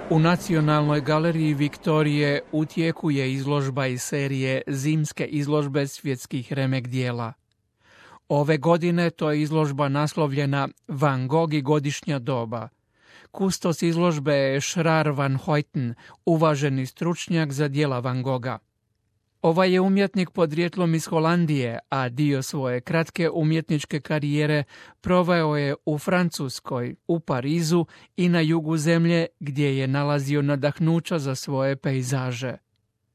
U Nacionalnoj galeriji Viktorije u tijeku je izložba iz serije Zimske izložbe svjetskih remek dijela. Ove godine to je izložba naslovljena Van Gogh i godišnja doba. Kustos izložbe je Schrar van Hoyten, uvaženi stručnjak za djela Van Gogha. Ovaj je umjetnik podrijetlom iz Holandije, a dio svoje kratke umjetničke karijere proveo je u Francuskoj, u Parizu i na jugu zemlje gdje je nalazio nadahnuća za svoje pejzaže.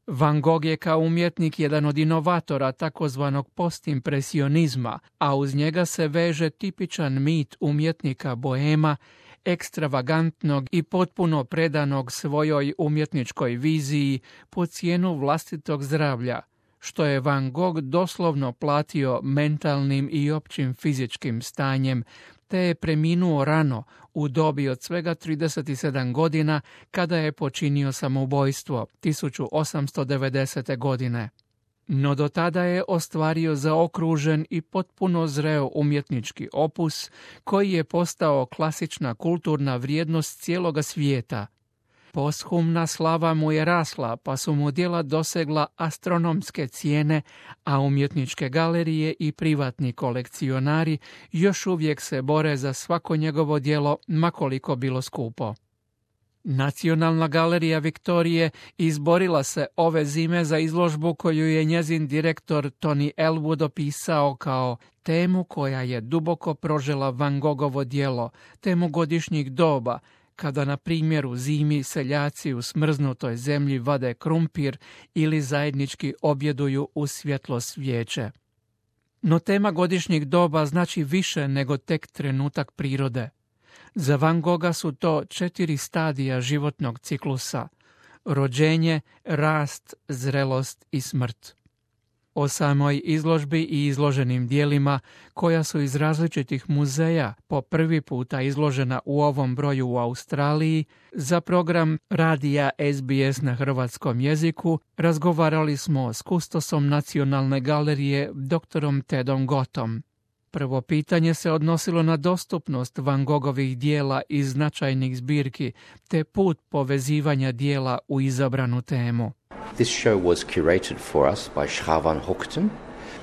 Van Gogh je kao umjetnik jedan od inovatora takozvanog postimpresionizma, a uz njega se veže tipičan mit umjetnika bohema, ekstravagantnog i potpuno predanog svojoj umjetničkoj viziji po cijenu vlastitog zdravlja, što je Van Gogh doslovno platio mentalnim i općim fizičkim stanjem, te je preminuo rano u dobi od svega 37 godina kada je počinio samoubojstvo 1890. godine. No do tada je ostvario zaokružen i potpuno zreo umjetnički opus koji je postao klasična kulturna vrijednost cijeloga svijeta. Posthumna slava mu je rasla, pa su mu djela dosegla astronomske cijene, a umjetničke galerije i privatni kolekcionari još uvijek se bore za svako njegovo djelo, ma koliko bilo skupo. Nacionalna galerija Viktorije izborila se ove zime za izložbu koju je njezin direktor Tony Elwood opisao kao temu koja je duboko prožela Van Goghovo djelo, temu godišnjih doba, kada na primjer u zimi seljaci u smrznutoj zemlji vade krumpir ili zajednički objeduju u svjetlo svijeće. No tema godišnjih doba znači više nego tek trenutak prirode. Za Van Gogha su to 4 stadija životnog ciklusa: rođenje, rast, zrelost i smrt. O samoj izložbi i izloženim dijelima, koja su iz različitih muzeja po prvi puta izložena u ovom broju u Australiji, za program radija SBS na hrvatskom jeziku razgovarali smo s kustosom Nacionalne galerije dr. Tedom Gottom. Prvo pitanje se odnosilo na dostupnost Van Goghovih dijela iz značajnih zbirki, te put povezivanja dijela u izabranu temu. This show was curated for us by Schrar van Hoyten.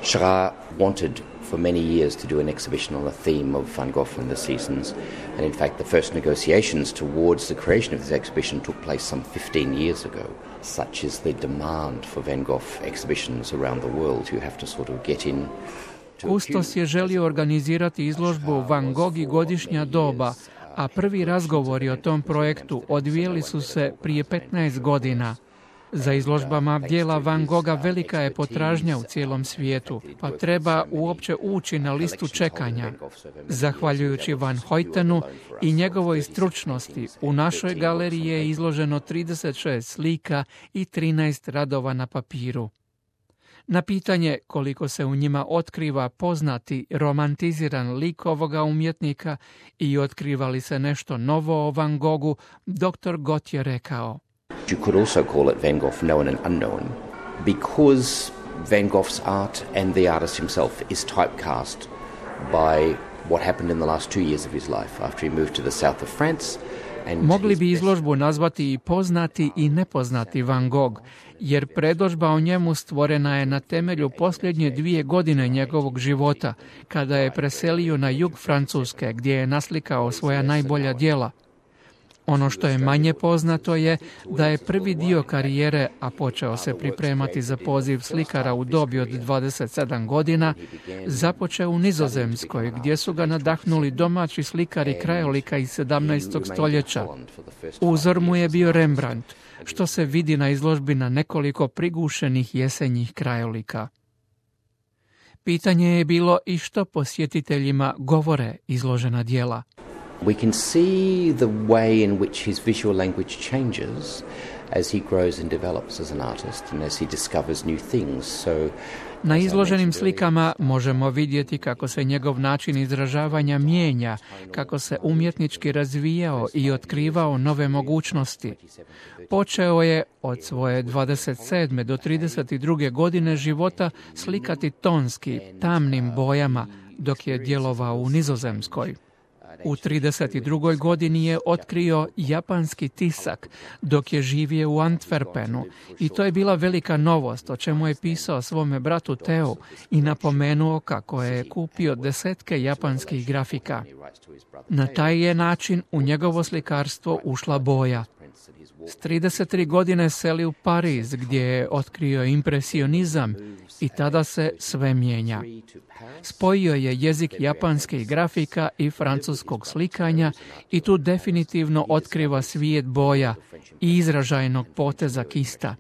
Schrar wanted for many years to do an exhibition on the theme of Van Gogh and the seasons, and in fact the first negotiations towards the creation of this exhibition took place some 15 years ago. Such is the demand for Van Gogh exhibitions around the world. You have to sort of get in. Kustos je želio organizirati izložbu Van Gogh i godišnja doba, a prvi razgovori o tom projektu odvijeli su se prije 15 godina. Za izložbama djela Van Gogha velika je potražnja u cijelom svijetu, pa treba uopće ući na listu čekanja. Zahvaljujući Van Hoytenu i njegovoj stručnosti, u našoj galeriji je izloženo 36 slika i 13 radova na papiru. Na pitanje koliko se u njima otkriva poznati romantiziran lik ovoga umjetnika i otkriva li se nešto novo o Van Goghu, dr. Gott je rekao: You could also call it Van Gogh known and unknown, because Van Gogh's art and the artist himself is typecast by what happened in the last 2 years of his life after he moved to the south of France. Mogli bi izložbu nazvati i poznati i nepoznati Van Gogh, jer predodžba o njemu stvorena je na temelju posljednje 2 godine njegovog života, kada je preselio na jug Francuske, gdje je naslikao svoja najbolja djela. Ono što je manje poznato je da je prvi dio karijere, a počeo se pripremati za poziv slikara u dobi od 27 godina, započeo u Nizozemskoj, gdje su ga nadahnuli domaći slikari krajolika iz 17. stoljeća. Uzor mu je bio Rembrandt, što se vidi na izložbi na nekoliko prigušenih jesenjih krajolika. Pitanje je bilo i što posjetiteljima govore izložena djela. We can see the way in which his visual language changes as he grows and develops as an artist and as he discovers new things. Na izloženim slikama možemo vidjeti kako se njegov način izražavanja mijenja, kako se umjetnički razvijao i otkrivao nove mogućnosti. Počeo je od svoje 27. do 32. godine života slikati tonski, tamnim bojama, dok je djelovao u Nizozemskoj. U 32. godini je otkrio japanski tisak dok je živio u Antwerpenu i to je bila velika novost, o čemu je pisao svome bratu Teu i napomenuo kako je kupio desetke japanskih grafika. Na taj je način u njegovo slikarstvo ušla boja. S 33 godine seli u Pariz gdje je otkrio impresionizam i tada se sve mijenja. Spojio je jezik japanskih grafika i francuskog slikanja i tu definitivno otkriva svijet boja i izražajnog poteza kista.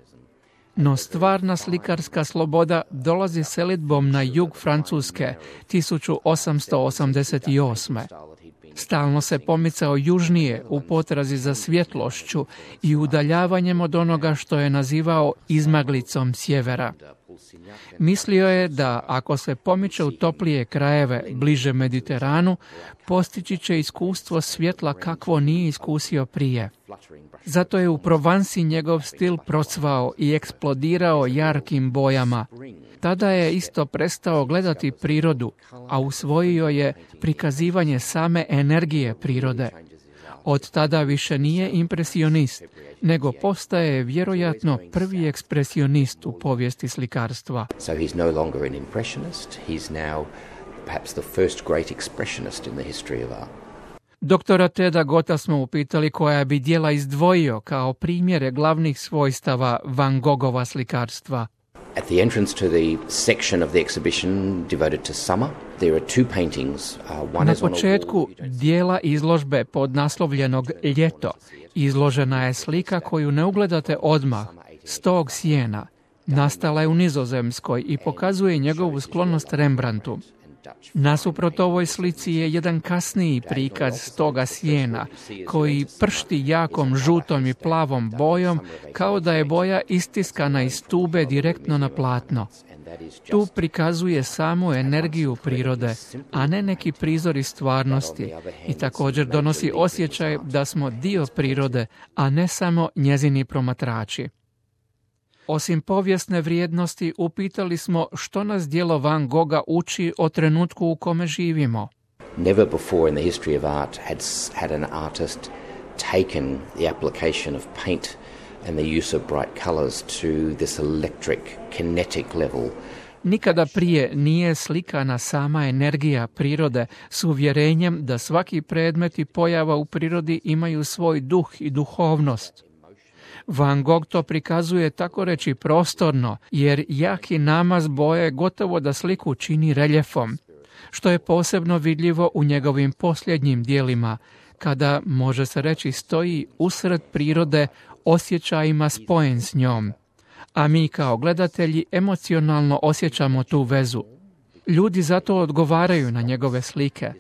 No stvarna slikarska sloboda dolazi selidbom na jug Francuske 1888. Stalno se pomicao južnije u potrazi za svjetlošću i udaljavanjem od onoga što je nazivao izmaglicom sjevera. Mislio je da ako se pomiče u toplije krajeve bliže Mediteranu, postići će iskustvo svjetla kakvo nije iskusio prije. Zato je u Provansi njegov stil procvao i eksplodirao jarkim bojama. Tada je isto prestao gledati prirodu, a usvojio je prikazivanje same energije prirode. Od tada više nije impresionist, nego postaje vjerojatno prvi ekspresionist u povijesti slikarstva. So he's no longer an impressionist, he's now perhaps the first great expressionist in the history of art. Doktora Teda Gotha smo upitali koja bi djela izdvojio kao primjere glavnih svojstava Van Gogova slikarstva. At the entrance to the section of the exhibition devoted to summer, there are two paintings. Na početku dijela izložbe podnaslovljenog Ljeto izložena je slika koju ne ugledate odmah, Stog sjena. Nastala je u Nizozemskoj i pokazuje njegovu sklonost Rembrandtu. Nasuprot ovoj slici je jedan kasniji prikaz Stoga sjena, koji pršti jakom žutom i plavom bojom, kao da je boja istiskana iz tube direktno na platno. Tu prikazuje samu energiju prirode, a ne neki prizor iz stvarnosti, i također donosi osjećaj da smo dio prirode, a ne samo njezini promatrači. Osim povijesne vrijednosti, upitali smo što nas djelo Van Gogha uči o trenutku u kome živimo. Never before in the history of art had an artist taken the application of paint and the use of bright colors to this electric, kinetic level. Nikada prije nije slikana sama energija prirode s uvjerenjem da svaki predmet i pojava u prirodi imaju svoj duh i duhovnost. Van Gogh to prikazuje tako reći prostorno, jer jaki namaz boje gotovo da sliku čini reljefom, što je posebno vidljivo u njegovim posljednjim dijelima, kada, može se reći, stoji usred prirode osjećajima spojen s njom. A mi kao gledatelji emocionalno osjećamo tu vezu. Ljudi zato odgovaraju na njegove slike.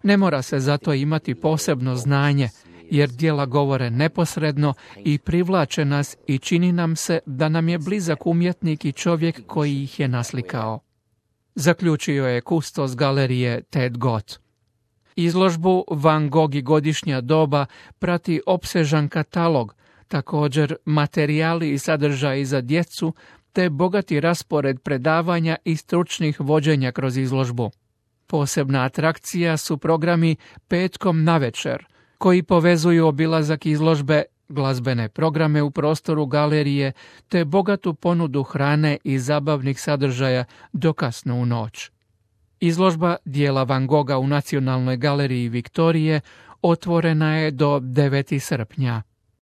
Ne mora se zato imati posebno znanje, jer djela govore neposredno i privlače nas i čini nam se da nam je blizak umjetnik i čovjek koji ih je naslikao. Zaključio je kustos galerije Ted Gott. Izložbu Van Gogh i godišnja doba prati opsežan katalog, također materijali i sadržaji za djecu, te bogati raspored predavanja i stručnih vođenja kroz izložbu. Posebna atrakcija su programi petkom navečer, koji povezuju obilazak izložbe, glazbene programe u prostoru galerije, te bogatu ponudu hrane i zabavnih sadržaja do kasno u noć. Izložba dijela Van Gogha u Nacionalnoj galeriji Viktorije otvorena je do 9. srpnja.